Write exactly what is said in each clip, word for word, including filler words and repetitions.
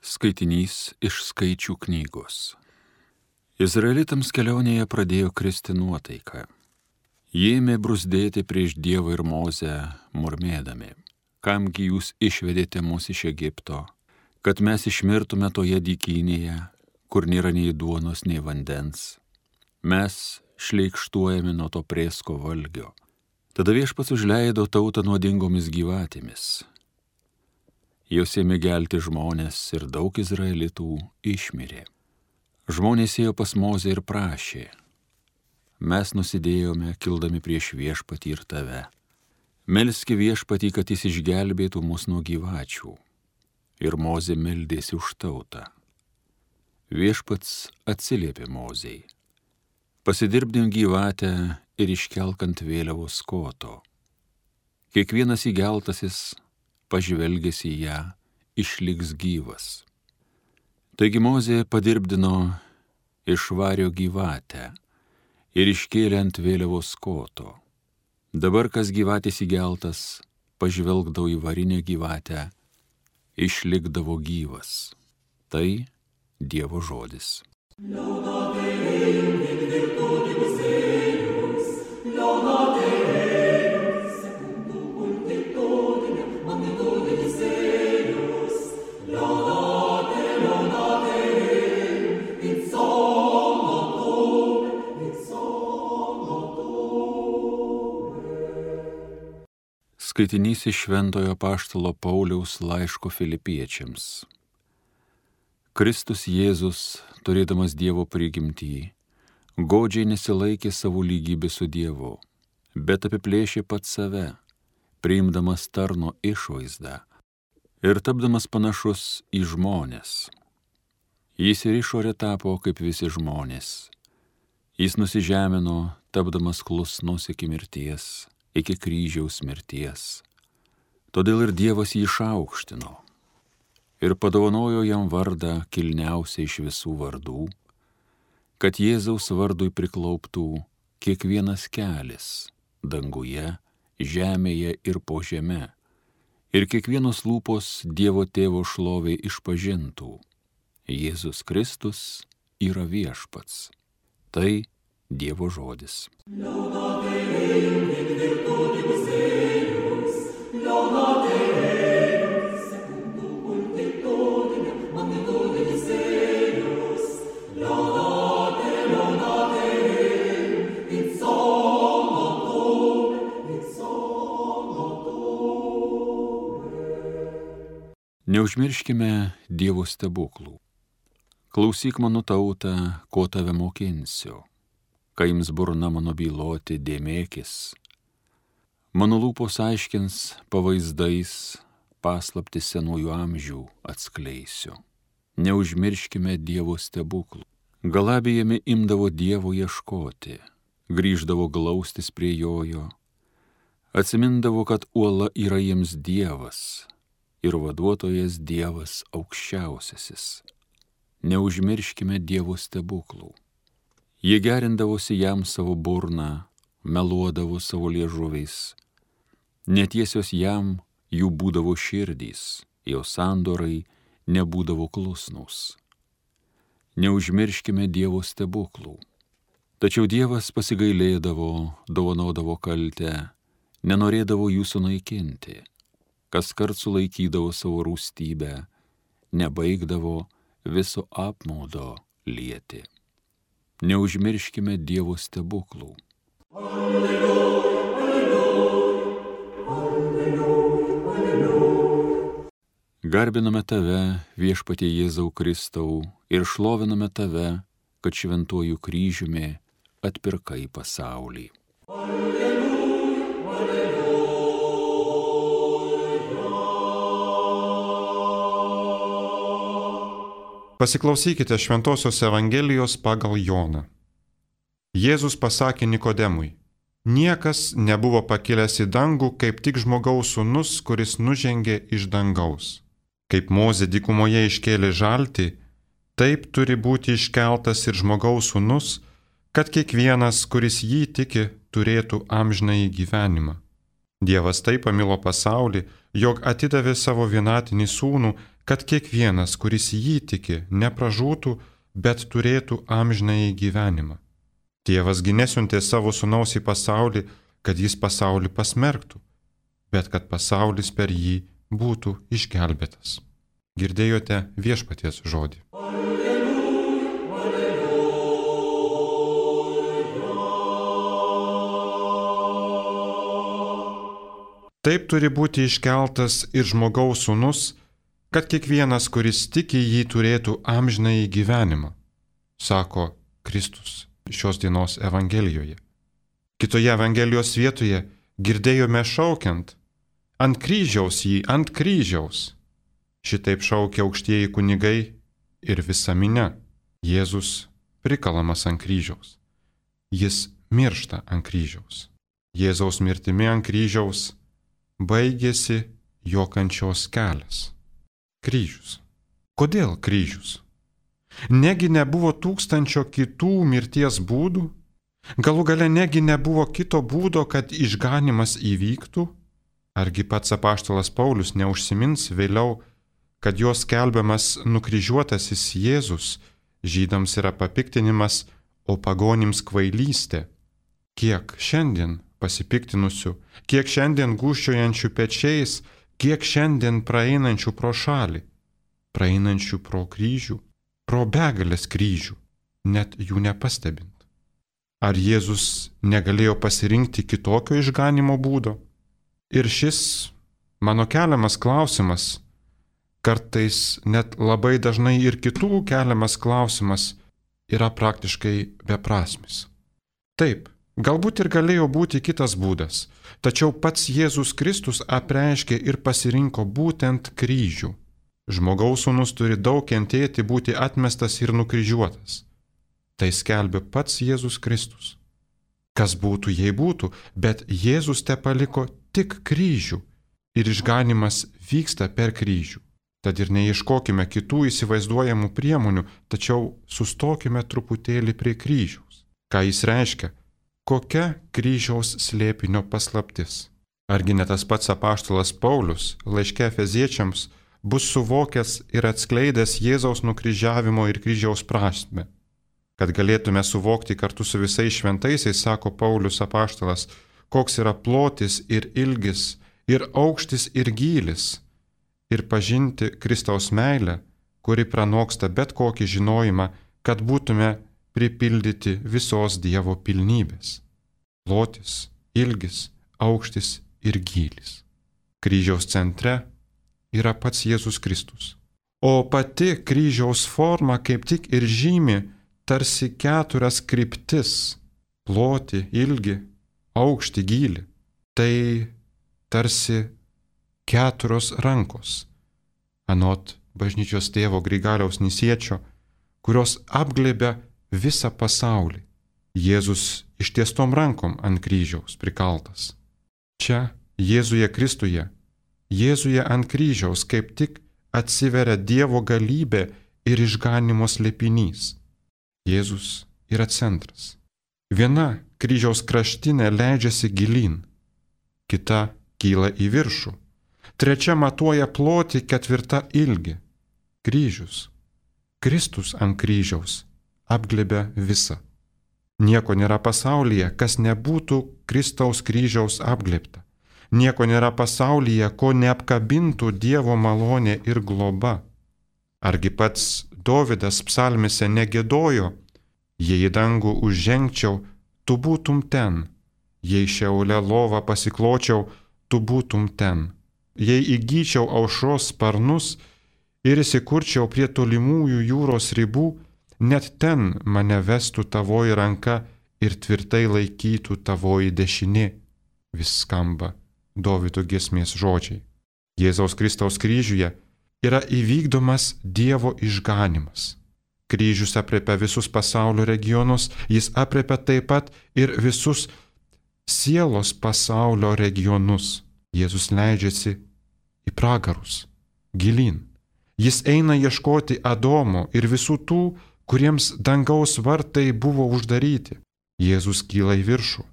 Skaitinys iš Skaičių knygos. Izraelitams kelionėje pradėjo kristi nuotaika. Jie ėmė bruzdėti prieš Dievą ir Mozę, murmėdami: kamgi jūs išvedėte mus iš Egipto, kad mes išmirtume toje dykynėje, kur nėra nei duonos, nei vandens. Mes šleikštuojame nuo to prėsko valgio. Tada Viešpats užleido tautą nuodingomis gyvatėmis. Jos ėmė gelti žmonės ir daug izraelitų išmirė. Žmonės ėjo pas Mozę ir prašė: mes nusidėjome, kildami prieš Viešpatį ir tave. Melski Viešpatį, kad jis išgelbėtų mus nuo gyvačių. Ir Mozė meldėsi už tautą. Viešpats atsiliepė Mozei: pasidirbdim gyvatę ir iškelk ant vėliavos koto. Kiekvienas įgeltasis, pažvelgęs į ją, išliks gyvas. Taigi Mozė padirbdino iš vario gyvatę ir iškėlė ant vėliavos koto. Dabar kas gyvatės įgeltas, pažvelgdavo į varinę gyvatę, išlikdavo gyvas. Tai Dievo žodis. Skaitinys iš Šventojo apaštalo Pauliaus laiško Filipiečiams. Kristus Jėzus, turėdamas Dievo prigimtį, godžiai nesilaikė savo lygybę su Dievu, bet apiplėšė pats save, priimdamas tarno išvaizdą ir tapdamas panašus į žmones. Jis ir išorė tapo kaip visi žmonės. Jis nusižemino, tapdamas klusnus iki mirties, iki kryžiaus mirties. Todėl ir Dievas jį išaukštino ir padovanojo jam vardą kilniausią iš visų vardų, kad Jėzaus vardui priklauptų kiekvienas kelis danguje, žemėje ir po žeme, ir kiekvienos lūpos Dievo Tėvo šlovei išpažintų: Jėzus Kristus yra Viešpats. Tai Dievo žodis. Neužmirškime Dievo stebuklų. Klausyk mano tauta, ko tave mokinsiu. Kai jums burna mano byloti, dėmėkis. Mano lūpos aiškins pavaizdais, paslapti senųjų amžių atskleisiu. Neužmirškime Dievo stebuklų. Galabijami imdavo Dievo ieškoti, grįždavo glaustis prie jojo, atsimindavo, kad uola yra jiems Dievas ir vaduotojas Dievas aukščiausiasis. Neužmirškime Dievo stebuklų. Jie gerindavosi jam savo burną, meluodavo savo liežuviais. Netiesios jam jų būdavo širdys, jo sandorai nebūdavo klusnūs. Neužmirškime Dievo stebuklų. Tačiau Dievas pasigailėdavo, dovanodavo kaltę, nenorėdavo jų sunaikinti. Kaskart sulaikydavo savo rūstybę, nebaigdavo viso apmaudo lieti. Neužmirškime Dievo stebuklų. Alleluja, alleluja, alleluja, alleluja. Garbiname tave, Viešpatie Jėzau Kristau, ir šloviname tave, kad šventuoju kryžiumi atpirkai pasaulį. Alleluja, alleluja. Pasiklausykite Šventosios Evangelijos pagal Joną. Jėzus pasakė Nikodemui: niekas nebuvo pakilęs į dangų, kaip tik žmogaus sūnus, kuris nužengė iš dangaus. Kaip Mozė dykumoje iškėlė žaltį, taip turi būti iškeltas ir žmogaus sūnus, kad kiekvienas, kuris jį tiki, turėtų amžinąjį gyvenimą. Dievas taip pamilo pasaulį, jog atidavė savo vienatinį sūnų, kad kiekvienas, kuris jį tiki, nepražūtų, bet turėtų amžinąjį gyvenimą. Tėvasgi nesiuntė savo sūnaus į pasaulį, kad jis pasaulį pasmerktų, bet kad pasaulis per jį būtų išgelbėtas. Girdėjote viešpaties žodį. Taip turi būti iškeltas ir žmogaus sūnus, kad kiekvienas, kuris tiki jį, turėtų amžinąjį gyvenimą, sako Kristus šios dienos Evangelijoje. Kitoje Evangelijos vietoje girdėjome šaukiant: ant kryžiaus jį, ant kryžiaus. Šitaip šaukia aukštieji kunigai ir visa minia. Jėzus prikalamas ant kryžiaus. Jis miršta ant kryžiaus. Jėzaus mirtimi ant kryžiaus baigėsi jo kančios kelias. Kryžius. Kodėl kryžius? Negi nebuvo tūkstančio kitų mirties būdų? Galų gale negi nebuvo kito būdo, kad išganimas įvyktų? Argi pats apaštalas Paulius neužsimins vėliau, kad jos skelbiamas nukryžiuotasis Jėzus žydams yra papiktinimas, o pagonims kvailystė? Kiek šiandien pasipiktinusių, kiek šiandien gūžčiojančių pečiais, kiek šiandien praeinančių pro šalį, praeinančių pro kryžių, pro begalės kryžių, net jų nepastebint. Ar Jėzus negalėjo pasirinkti kitokio išganimo būdo? Ir šis mano keliamas klausimas, kartais net labai dažnai ir kitų keliamas klausimas, yra praktiškai beprasmis. Taip, galbūt ir galėjo būti kitas būdas, tačiau pats Jėzus Kristus apreiškė ir pasirinko būtent kryžių. Žmogaus sūnus turi daug kentėti, būti atmestas ir nukryžiuotas. Tai skelbė pats Jėzus Kristus. Kas būtų, jei būtų, bet Jėzus te paliko tik kryžių ir išganimas vyksta per kryžių. Tad ir neieškokime kitų įsivaizduojamų priemonių, tačiau sustokime truputėlį prie kryžiaus. Ką jis reiškia? Kokia kryžiaus slėpinio paslaptis? Argi ne tas pats apaštalas Paulius laiške Efeziečiams bus suvokęs ir atskleidęs Jėzaus nukryžiavimo ir kryžiaus prasmę? Kad galėtume suvokti kartu su visais šventaisiais, sako Paulius apaštalas, koks yra plotis ir ilgis, ir aukštis ir gylis, ir pažinti Kristaus meilę, kuri pranoksta bet kokį žinojimą, kad būtume pripildyti visos Dievo pilnybės. Plotis, ilgis, aukštis ir gylis. Kryžiaus centre yra pats Jėzus Kristus. O pati kryžiaus forma kaip tik ir žymi tarsi keturias kryptis - plotį, ilgį, aukštį, gylį. Tai tarsi keturios rankos, anot bažnyčios tėvo Grigaliaus Nisiečio, kurios apglėbia visą pasaulį. Jėzus ištiestom rankom ant kryžiaus prikaltas. Čia Jėzuje Kristuje, Jėzuje ant kryžiaus kaip tik atsiveria Dievo galybė ir išganimo slėpinys. Jėzus yra centras. Viena kryžiaus kraštinė leidžiasi gilyn, kita kyla į viršų, trečia matuoja plotį, ketvirta ilgį. Kryžius. Kristus ant kryžiaus apglėbia visą. Nieko nėra pasaulyje, kas nebūtų Kristaus kryžiaus apglėbta. Nieko nėra pasaulyje, ko neapkabintų Dievo malonė ir globa. Argi pats Dovydas psalmėse negėdojo: jei į dangų užžengčiau, tu būtum ten, jei šeule lovą pasikločiau, tu būtum ten, jei įgyčiau aušros sparnus ir įsikurčiau prie tolimųjų jūros ribų, net ten mane vestų tavoji ranka ir tvirtai laikytų tavoji dešinė. Vis skamba Dovydo giesmės žodžiai. Jėzaus Kristaus kryžiuje yra įvykdomas Dievo išganimas. Kryžius apriepia visus pasaulio regionus, jis apriepia taip pat ir visus sielos pasaulio regionus. Jėzus leidžiasi į pragarus, gilyn. Jis eina ieškoti Adomo ir visų tų, kuriems dangaus vartai buvo uždaryti. Jėzus kyla į viršų,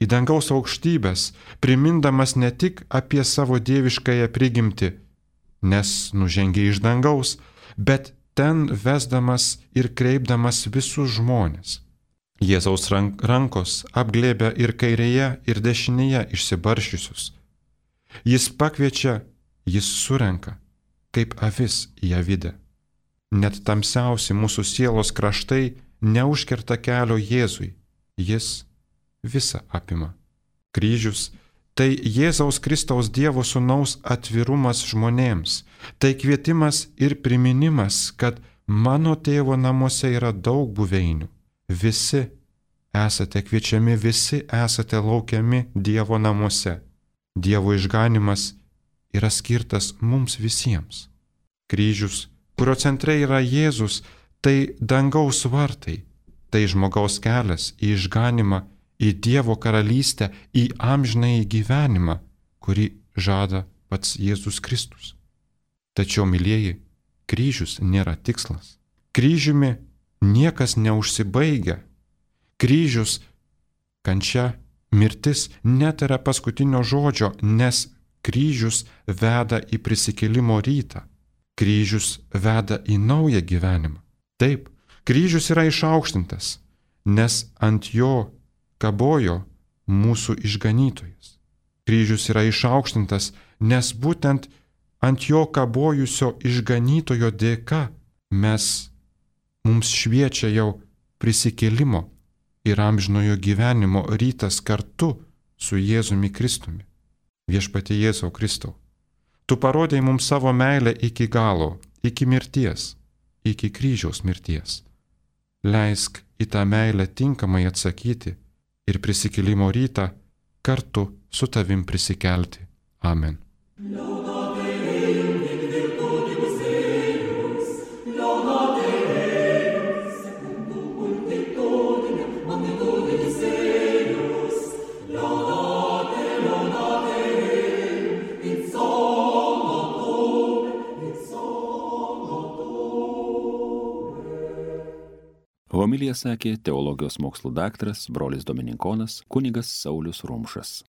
į dangaus aukštybės, primindamas ne tik apie savo dieviškąją prigimtį, nes nužengė iš dangaus, bet ten vesdamas ir kreipdamas visus žmonės. Jėzaus rankos apglėbia ir kairėje, ir dešinėje išsibaršiusius. Jis pakviečia, jis surenka, kaip avis į avidę. Net tamsiausi mūsų sielos kraštai neužkerta kelio Jėzui, jis visą apima. Kryžius – tai Jėzaus Kristaus Dievo Sūnaus atvirumas žmonėms, tai kvietimas ir priminimas, kad mano tėvo namuose yra daug buveinių. Visi esate kviečiami, visi esate laukiami Dievo namuose. Dievo išganimas yra skirtas mums visiems. Kryžius, kurio centre yra Jėzus, tai dangaus vartai, tai žmogaus kelias į išganimą, į Dievo karalystę, į amžinąjį gyvenimą, kurį žada pats Jėzus Kristus. Tačiau, mylieji, kryžius nėra tikslas. Kryžiumi niekas neužsibaigia. Kryžius, kančia, mirtis netara paskutinio žodžio, nes kryžius veda į prisikėlimo rytą. Kryžius veda į naują gyvenimą. Taip, kryžius yra išaukštintas, nes ant jo kabojo mūsų išganytojas. Kryžius yra išaukštintas, nes būtent ant jo kabojusio išganytojo dėka mes, mums šviečia jau prisikėlimo ir amžinojo gyvenimo rytas kartu su Jėzumi Kristumi. Viešpatie Jėzau Kristau, tu parodėjai mums savo meilę iki galo, iki mirties, iki kryžiaus mirties. Leisk į tą meilę tinkamai atsakyti ir prisikėlimo rytą kartu su tavim prisikelti. Amen. Homiliją sakė teologijos mokslų daktaras, brolis dominikonas, kunigas Saulius Rumšas.